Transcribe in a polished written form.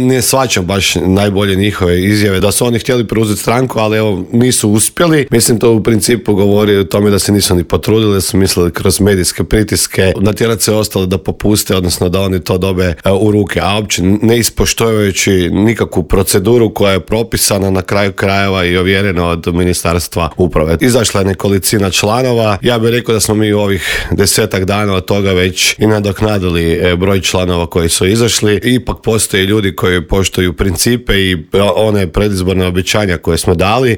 Ne shvaćam baš najbolje njihove izjave da su oni htjeli preuzeti stranku, ali evo nisu uspjeli. Mislim, to u principu govori o tome da se nisu ni potrudili, da su mislili kroz medijske pritiske natjerati se ostalo da popuste, odnosno da oni to dobe u ruke, a uopće ne ispoštujući nikakvu proceduru koja je propisana na kraju krajeva i ovjerena od Ministarstva uprave. Izašla je nekolicina članova. Ja bih rekao da smo mi u ovih 10 dana od toga već i nadoknadili broj članova koji su izašli. Ipak postoje ljudi koji poštuju principe i one predizborne obećanja koje smo dali.